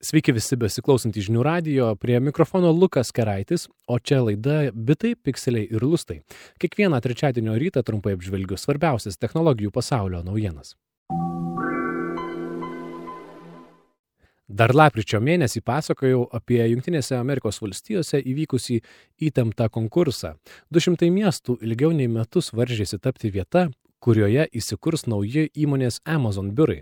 Sveiki visi besiklausantys žinių radijo, prie mikrofono Lukas Keraitis, o čia laida Bitai, pikseliai ir lustai. Kiekvieną trečiadienio rytą trumpai apžvelgiu svarbiausias technologijų pasaulio naujienas. Dar lapkričio mėnesį pasakojau apie Jungtinėse Amerikos valstijose įvykusį įtemptą konkursą. 200 miestų ilgiau nei metus varžėsi tapti vieta, kurioje įsikurs nauji įmonės Amazon biurai.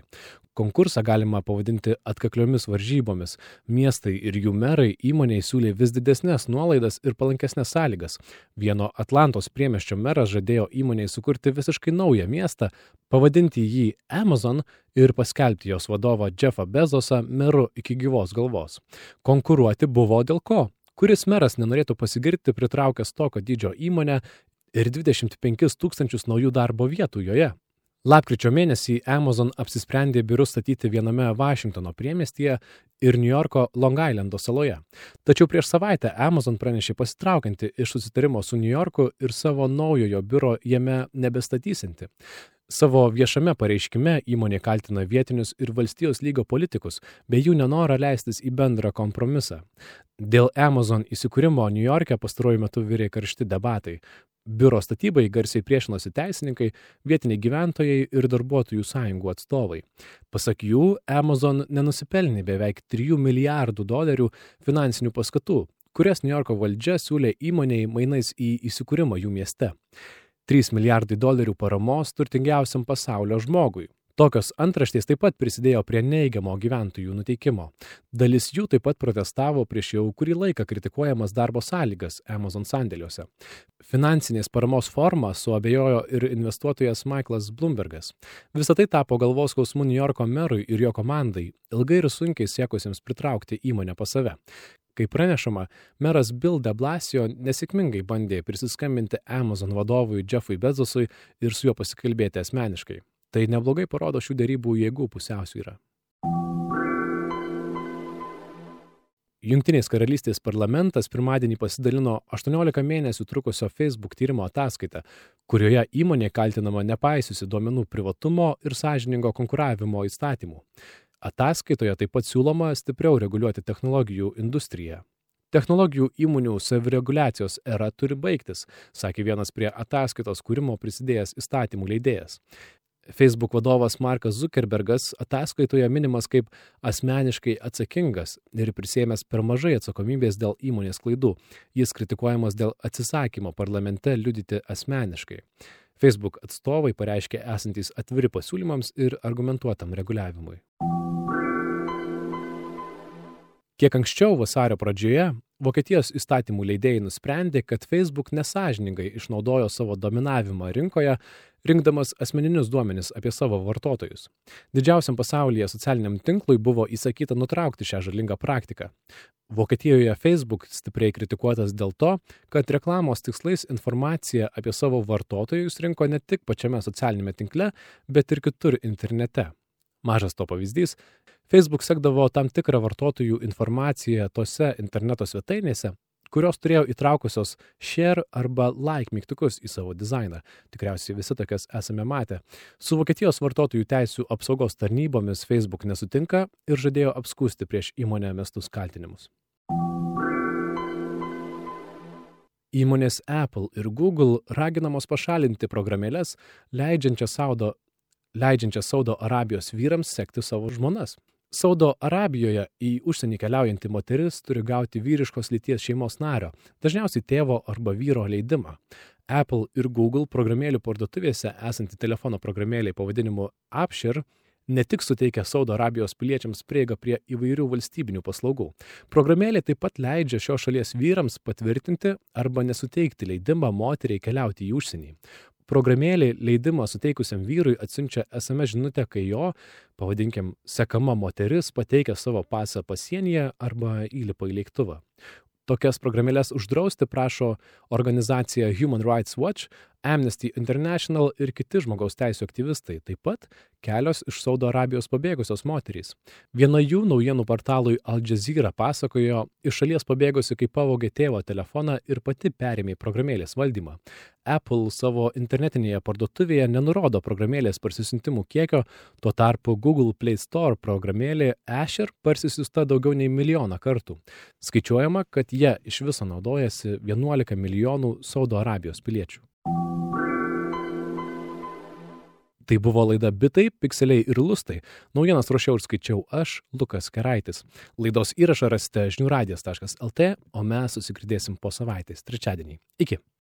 Konkursą galima pavadinti atkakliomis varžybomis. Miestai ir jų merai įmonei siūlė vis didesnės nuolaidas ir palankesnės sąlygas. Vieno Atlantos priemiesčio meras žadėjo įmonei sukurti visiškai naują miestą, pavadinti jį Amazon ir paskelbti jos vadovą Jeffą Bezosą meru iki gyvos galvos. Konkuruoti buvo dėl ko? Kuris meras nenorėtų pasigirti pritraukęs tokio dydžio įmonę ir 25 000 naujų darbo vietų joje? Lapkričio mėnesį Amazon apsisprendė biurus statyti viename Vašingtono priemiestyje ir Niujorko Long Islando saloje. Tačiau prieš savaitę Amazon pranešė pasitraukianti iš susitarimo su Niujorku ir savo naujojo biuro jame nebestatysinti. Savo viešame pareiškime įmonė kaltina vietinius ir valstijos lygio politikus, bei jų nenorą leistis į bendrą kompromisą. Dėl Amazon įsikūrimo Niujorke pastaruoju metu virė karšti debatai. Biuro statybai garsiai priešinosi teisininkai, vietiniai gyventojai ir darbuotojų sąjungų atstovai. Pasak jų, Amazon nenusipelnė beveik $3 milijardų finansinių paskatų, kurias Niujorko valdžia siūlė įmonei mainais į įsikūrimą jų mieste. $3 milijardai paramos turtingiausiam pasaulio žmogui. Tokios antraštės taip pat prisidėjo prie neigiamo gyventojų nuteikimo. Dalis jų taip pat protestavo prieš jau kurį laiką kritikuojamas darbo sąlygas Amazon sandėliuose. Finansinės paramos formą suabejojo ir investuotojas Michaelas Bloombergas. Visą tai tapo galvos skausmu Niujorko merui ir jo komandai, ilgai ir sunkiai siekusiems pritraukti įmonę pas save. Kaip pranešama, meras Bill de Blasio nesėkmingai bandė prisiskambinti Amazon vadovui Jeffui Bezosui ir su juo pasikalbėti asmeniškai. Tai neblogai parodo šių derybų jėgų pusiausvyrą. Jungtinės karalystės parlamentas pirmadienį pasidalino 18 mėnesių trukusio Facebook tyrimo ataskaitą, kurioje įmonė kaltinama nepaisiusi duomenų privatumo ir sąžiningo konkuravimo įstatymų. Ataskaitoje taip pat siūloma stipriau reguliuoti technologijų industriją. Technologijų įmonių savireguliacijos era turi baigtis, sakė vienas prie ataskaitos kūrimo prisidėjęs įstatymų leidėjas. Facebook vadovas Markas Zuckerbergas ataskaitoje minimas kaip asmeniškai atsakingas ir prisėmęs per mažai atsakomybės dėl įmonės klaidų. Jis kritikuojamas dėl atsisakymo parlamente liudyti asmeniškai. Facebook atstovai pareiškė esantys atviri pasiūlymams ir argumentuotam reguliavimui. Kiek anksčiau vasario pradžioje Vokietijos įstatymų leidėjai nusprendė, kad Facebook nesąžiningai išnaudojo savo dominavimą rinkoje, rinkdamas asmeninius duomenis apie savo vartotojus. Didžiausiam pasaulyje socialiniam tinklui buvo įsakyta nutraukti šią žalingą praktiką. Vokietijoje Facebook stipriai kritikuotas dėl to, kad reklamos tikslais informaciją apie savo vartotojus rinko ne tik pačiame socialinėme tinkle, bet ir kitur internete. Mažas to pavyzdys, Facebook sekdavo tam tikrą vartotojų informaciją tose interneto svetainėse, kurios turėjo įtraukusios share arba like mygtukus į savo dizainą. Tikriausiai visi tokias esame matę. Su Vokietijos vartotojų teisių apsaugos tarnybomis Facebook nesutinka ir žadėjo apskųsti prieš įmonę mestus kaltinimus. Įmonės Apple ir Google raginamos pašalinti programėles, leidžiančias Saudo Arabijos vyrams sekti savo žmonas. Saudo Arabijoje į užsienį keliaujanti moteris turi gauti vyriškos lyties šeimos nario, dažniausiai tėvo arba vyro leidimą. Apple ir Google programėlių parduotuvėse esanti telefono programėliai pavadinimu Abshir ne tik suteikia Saudo Arabijos piliečiams prieigą prie įvairių valstybinių paslaugų. Programėlė taip pat leidžia šios šalies vyrams patvirtinti arba nesuteikti leidimą moteriai keliauti į užsienį. Programėlė leidimą suteikusiam vyrui atsiunčia SMS žinutę, kai jo, pavadinkim, sekama moteris pateikia savo pasą pasienyje arba įlipa į lėktuvą. Tokias programėlės uždrausti prašo organizacija Human Rights Watch, Amnesty International ir kiti žmogaus teisų aktyvistai, taip pat kelios iš Saudo Arabijos pabėgusios moterys. Viena jų naujienų portalui Al Jazeera pasakojo, iš šalies pabėgusi, kai pavogė tėvo telefoną ir pati perėmė programėlės valdymą. Apple savo internetinėje parduotuvėje nenurodo programėlės parsisiuntimų kiekio, tuo tarpu Google Play Store programėlė Asher parsisiųsta daugiau nei 1 milijoną kartų. Skaičiuojama, kad jie iš viso naudojasi 11 milijonų Saudo Arabijos piliečių. Tai buvo laida Bitai, pikseliai ir lustai. Naujienas ruošiau ir skaičiau aš, Lukas Keraitis. Laidos įrašą rasite žiniųradijas.lt, o mes susigirdėsim po savaitės, trečiadienį. Iki.